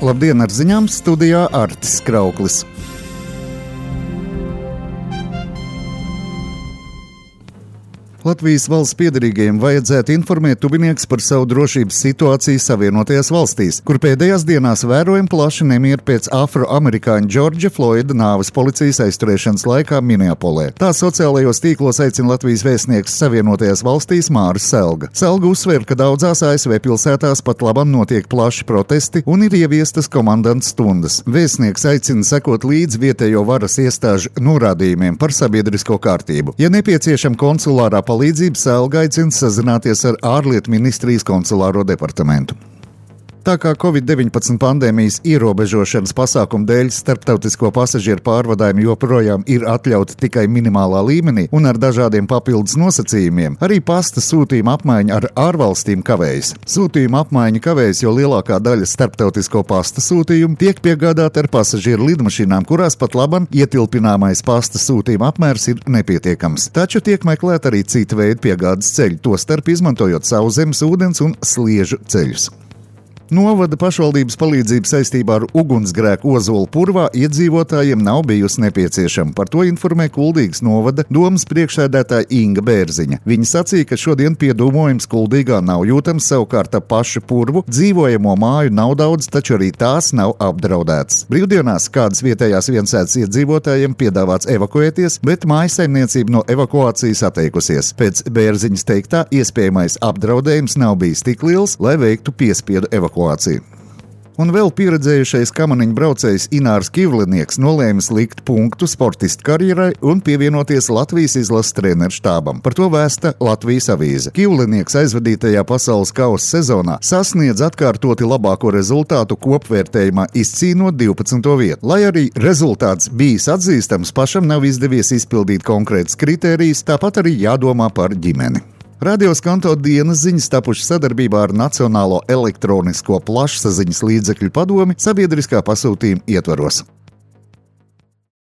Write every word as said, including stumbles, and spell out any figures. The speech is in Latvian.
Labdien, ar ziņām studijā Artis Krauklis. Latvijas valsts piederīgajiem vajadzētu informēt tuvinieks par savu drošības situāciju Savienotajās valstīs, kur pēdējās dienās vērojam plaši nemieru pēc afroamerikāņa Džordža Floida nāves policijas aizturēšanas laikā Minneapolē. Tā sociālajos tīklos aicina Latvijas vēstnieks Savienotajās valstīs Māris Selga. Selga uzsver, ka daudzās A S V pilsētās pat labam notiek plaši protesti un ir ieviestas komandantas stundas. Vēstnieks aicina sekot līdz vietējo varas iestāžu norādījumiem par sabiedrisko kārtību. Ja nepieciešama konsulārā palīdzību, Selga aicina sazināties ar ārlietu ministrijas konsulāro departamentu. Tā kā covid deviņpadsmit pandēmijas ierobežošanas pasākumu dēļ starptautisko pasažieru pārvadājumi joprojām ir atļauti tikai minimālā līmenī un ar dažādiem papildus nosacījumiem, arī pasta sūtījuma apmaiņa ar ārvalstīm kavējas. Sūtījuma apmaiņa kavējas, jo lielākā daļa starptautisko pasta sūtījumu tiek piegādāta ar pasažieru lidmašīnām, kurās pat labam ietilpināmais pasta sūtījuma apmērs ir nepietiekams. Taču tiek meklēt arī cita veida piegādes ceļi, tostarp izmantojot sauszemes, ūdens un sliežu ceļus. Novada pašvaldības palīdzība saistībā ar ugunsgrēku Ozolu purvā iedzīvotājiem nav bijusi nepieciešama. Par to informē Kuldīgas novada domas priekšsēdētāja Inga Bērziņa. Viņa sacīja, ka šodien piedūmojums Kuldīgā nav jūtams, savukārt ap pašu purvu dzīvojamo māju nav daudz, taču arī tās nav apdraudētas. Brīvdienās kādas vietējās viensētas iedzīvotājiem piedāvāts evakuēties, bet mājasaimniecība no evakuācijas atteikusies. Pēc Bērziņas teiktā, iespējamais apdraudējums nav bijis tik liels, lai veiktu piespiedu evakuāciju. Un vēl pieredzējušais kamaniņu braucējs Inārs Kivlinieks nolēmis likt punktu sportistu karjerai un pievienoties Latvijas izlases treneru štābam. Par to vēsta Latvijas avīze. Kivlinieks aizvadītajā pasaules kausa sezonā sasniedz atkārtoti labāko rezultātu kopvērtējumā, izcīnot divpadsmito vietu. Lai arī rezultāts bijis atzīstams, pašam nav izdevies izpildīt konkrētas kritērijas, tāpat arī jādomā par ģimeni. Radio Skanto dienas ziņas tapušas sadarbībā ar Nacionālo elektronisko plašsaziņas līdzekļu padomi sabiedriskā pasūtījuma ietvaros.